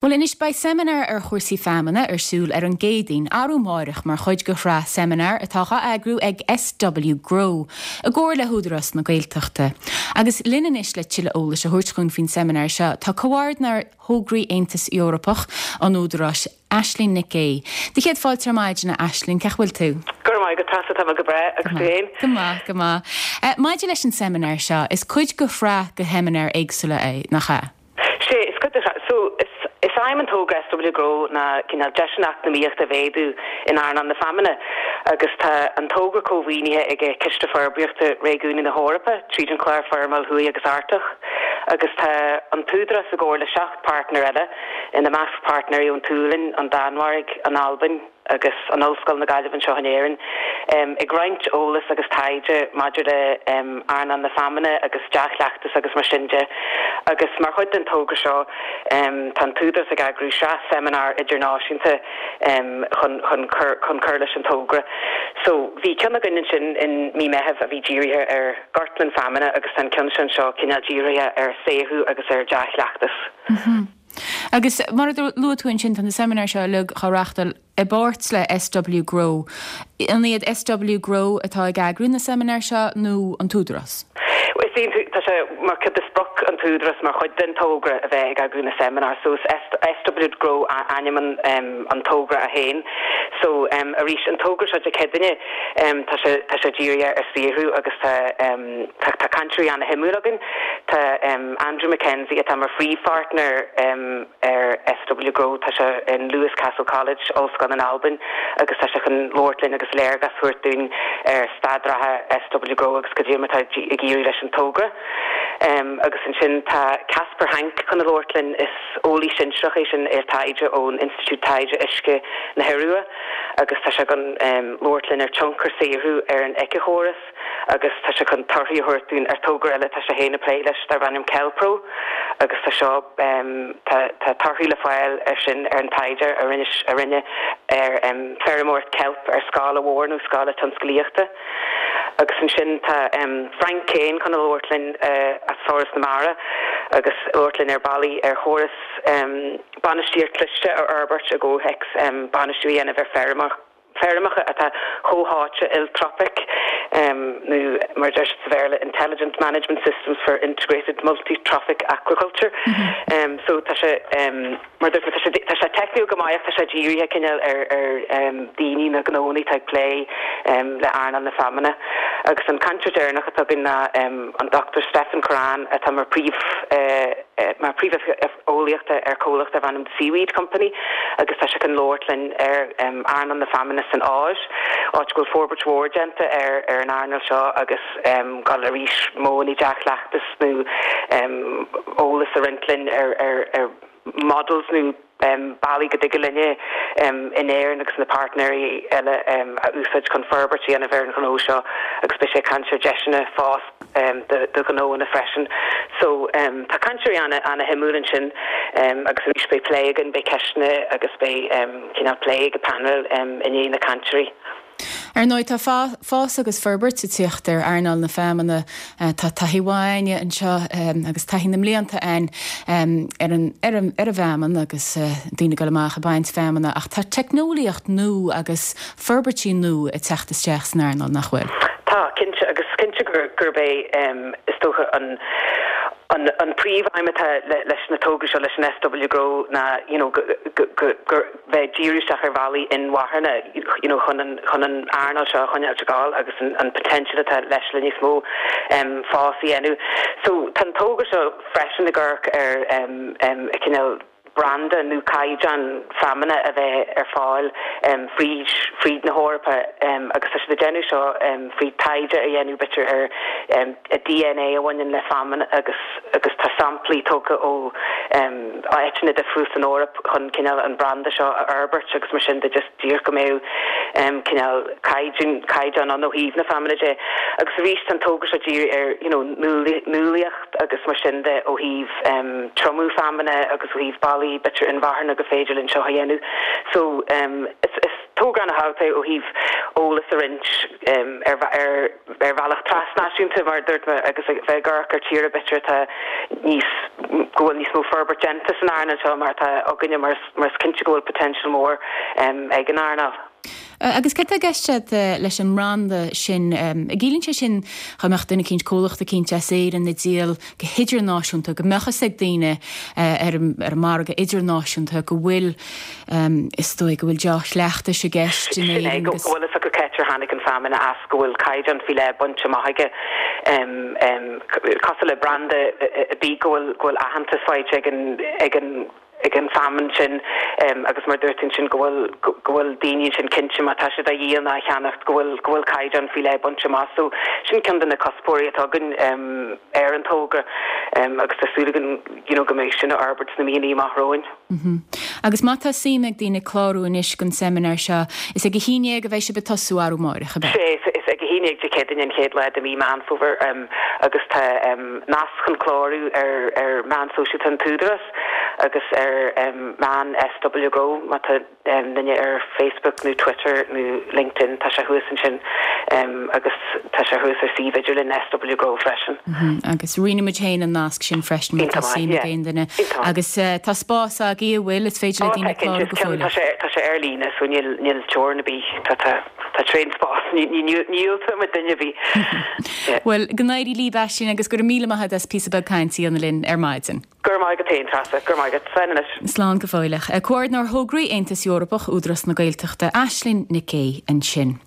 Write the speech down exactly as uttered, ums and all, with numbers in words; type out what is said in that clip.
Well anois beidh seimineár ar chúrsaí feamainne ar siúl ar an gCéadaoin arú amárach mar chuid de shraith seimineár atá á eagrú ag SW Grow, i gcomhar le hÚdarás na Gaeltachta. Agus linn anois le tuilleadh eolais a thabhairt dúinn faoin seimineár seo tá comhordaitheoir thograí Aontas Eorpach an Údaráis Aisling Nic Aodha. Do chéad fáilte ar maidin Aisling cén chaoi bhfuil tú? Gur mai go tá tá go breá agus tú féin? Go maith go maith. Uh, Maidir leis an seimineár seo is cuid de shraith de sheimineáir éagsúla é nach ea. Sé is cuid so is is aidhm an togra SW Grow ná cineál deiseanna eacnamaíochta a mhéadú in earnáil na feamainne agus tá an togra cómhaoinithe ag Ciste Forbraíochta Réigiúnaí na hEorpa tríd an chlár Forimeall Thuaidh agus Artach agus tá an tÚdarás i gcomhar le seacht partner eile ina measc partners ón tSualainn, an Danmhairg, an Albain agus an Ollscoil na Gaillimhe anseo in Éirinn um, ag roinnt eolas agus taighde maidir le um, earnáil na feamainne agus dea-chleachtas agus mar sin de. agus mar chuid den togra seo um, tá an tÚdarás ag eagrú sraith seimineár idirnáisiúnta um, chun chun chun chun cur leis an togra. So bhí ceann againn ansin in mí Mheithimh a bhí dírithe ar ghortlann feamainne agus an ceann sin seo cineál dírithe ar saothrú agus ar dea-chleachtas. Mm -hmm. Agus mar a luaigh tú ansin tá na seimineáir seo uilig á reáchtáil i bpáirt le SW Grow. An iad SW Grow atá ag eagrú na seimineár seo nó an tÚdarás? Tá sé mar chuid de sprioc an tÚdarás mar chuid den togra a bheith ag eagrú na seimineár, so SW Grow ainm an, um, an togra a haon. So um, arís an togra seo de cedaine um, tá sé tá sé dírithe ar saothrú agus tá um, tá, tá cainteoirí an-shuimiúil againn Tá um, Andrew McKenzie atá mar phríomhpháirtner um, ar SW Grow tá sé in Lewis Castle College Ollscoil in Albain agus tá sé chun labhairt linn agus léargas a thabhairt dúinn ar staid reatha SW Grow agus cad é atá ag éirí leis an togra. Um, agus ansin tá Casper Hank chun labhairt linn is eolaí sinsearach é sin ar taighde ón Institiúid Taighde Uisce na hIorua agus tá sé chun um, labhairt linn ar tionchar saothrú ar an éiceachóras agus tá sé chun torthaí a thabhairt dúinn ar togra eile tá sé féin ag plé leis darb ainm Kelpro agus tá seo um, tá tá torthaí le fáil ar sin ar an taighde a rinne a rinne ar um, feirmeoireacht kelp ar scála mhór nó scála tionsclaíochta. Agus ansin tá um, Frank Kane chun labhairt linn uh, as Foras na Mara agus labhairt linn ar bealaí ar chóras um, bainistíocht cliste a fhorbairt i gcomhthéacs um, bainistiú a dhéanamh ar feirmeach feirmeacha atá comhtháite iltrofach um, nó mar deir sa Bhéarla Intelligent Management Systems for Integrated Multi-Trophic Aquaculture. Mm -hmm. um, so tá sé um, mar tá sé tá sé teicniúil go maith tá sé dírithe cineál ar ar um, daoine na gnónna atá ag plé um, le earnáil na feamainne. agus an cainteoir deireanach atá againn ná um, an Dr. Stephen Coran atá mar príomh uh, uh, mar príomh eolaíochta ar comhlacht darb ainm Seaweed Company agus tá sé chun labhairt linn ar um, earnáil na feamainne san Áis áit go bhfuil forbairt mhór déanta ar ar an earnáil seo agus um, gal arís modhanna dea-chleachtas nó um, eolas a roinnt linn ar ar ar models nó um, bealaí go dtig linne um, in Éirinn agus na partners eile um, a úsáid chun forbairt a dhéanamh ar an ghnó seo agus beidh sé ag caint ar deiseanna fás um, de, de ghnóanna freisin. So um, tá cainteoirí an an-shuimiúil ansin um, agus arís beidh plé againn beidh ceisteanna agus beidh um, cineál plé ag panel um, i ndiaidh na cainteoirí. Ar ndóigh tá fás agus forbairt ag teacht ar earnáil na feamainne tá taithí mhaith anseo agus taithí na mblianta againn ar an ar an ar an bhfeamainn agus daoine go amach ag baint feamainne ach tá teicneolaíocht nua agus forbairtí nua ag teacht isteach san earnáil nach bhfuil. Tá cinnte agus cinnte gur gurb é um, is dócha an an an príomhaidhm atá leis na togra seo leis an SW Grow ná you know, gur bheith díriú isteach ar bhealaí inmharthana you know, chun an chun an earnáil seo chun tegáil agus an, an potential atá leis le níos mó um, fás a dhéanamh. So tá togra seo freisin ag amharc ar um, um, cineál branda nó caighdeán feamainne a bheith ar fáil um, fríd fríd na hEorpa um, agus tá siad ag déanamh seo um, fríd taighde a dhéanamh b'fhéidir ar um, a DNA a bhaineann le feamainn agus agus tá samplaí tógtha ó um, áiteanna difriúla san Eoraip chun cineál an branda seo a fhorbairt agus mar sin de just díreach go mbeadh um, cineál caighdeán caighdeán an ó thaobh na feamainne de agus arís an togra seo dírithe ar you know, nuálaíocht agus mar sin de ó thaobh um, triomú feamainne agus ó thaobh bealaí b'fhéidir inmharthana go féidir linn seo a dhéanamh. So um, is, is togra ana-thábhachtach é ó thaobh eolas a roinnt ar ar ar bhealach trasnáisiúnta mar dúirt mé agus a bheith ag amharc ar tíortha b'fhéidir atá níos go bhfuil níos mó forbairt déanta san earnáil seo mar atá againne mar mar is cinnte go bhfuil potential mór ag an earnáil. Agus cad tá i gceist agat leis an mbranda sin? Ciallaíonn sé sin go mbeadh duine eicínt, comhlacht eicínt as Éirinn ag díol go hidirnáisiúnta, go mbeadh fhios ag daoine ar an margadh idirnáisiúnta go bhfuil, is dóigh, go bhfuil dea-chleachtais i gceist in Éirinn agus. Sin é, go bhfuil fhios acu cá háit ar tháinig an feamainn as, go bhfuil caighdeán faoi leith bainte amach aige, cosúil le branda ar bith go bhfuil, go bhfuil aitheantas faighte ag an, ag an, ag an feamainn sin agus mar dúirt ansin go bhfuil go bhfuil daoine ansin cinnte má tá siad á dhíol nó á cheannacht go bhfuil go bhfuil caighdeán faoi leith bainte amach. So sin ceann de na cuspóirí atá againn ar an togra agus tá súil againn you know go mbeidh sin á fhorbairt sna míonna amach romhainn. Agus má tá suim ag daoine clárú anois don seimineár seo, is ag a haon déag a bheidh sibh ag tosú arú amáireach, ab ea? Sea, is ag a haon déag Dé Céadaoine an chéad lá de mhí Meán Fómhair agus tá nasc chun clárú ar ar meán sóisialta an tÚdarás. agus ar meán SW Grow má tá duine ar Facebook nó Twitter nó LinkedIn tá sé thuas ansin agus tá sé thuas ar suíomh idirlín SW Grow freisin. Agus roinnfidh muid féin an nasc sin freisin má tá suim ag aon duine. Agus tá spás agaibh an bhfuil, is féidir le daoine clárú go fóill. Tá sé tá sé ar líne so níl níl teorainn ar bith tá tá tá tréan spás ní ní dhiúltóidh muid duine ar bith. Bhuel, go n-éirí libh Aisling agus go raibh míle maith agat as píosa beag cainte a dhéanamh linn ar maidin. Go raibh maith agat féin, Treasa. Go raibh maith agat. Slán anois. Slán go fóilleach. Comhordinóir Thograí Aontas Eorpach Údarás na Gaeltachta, Aisling Nic Aoidh ansin.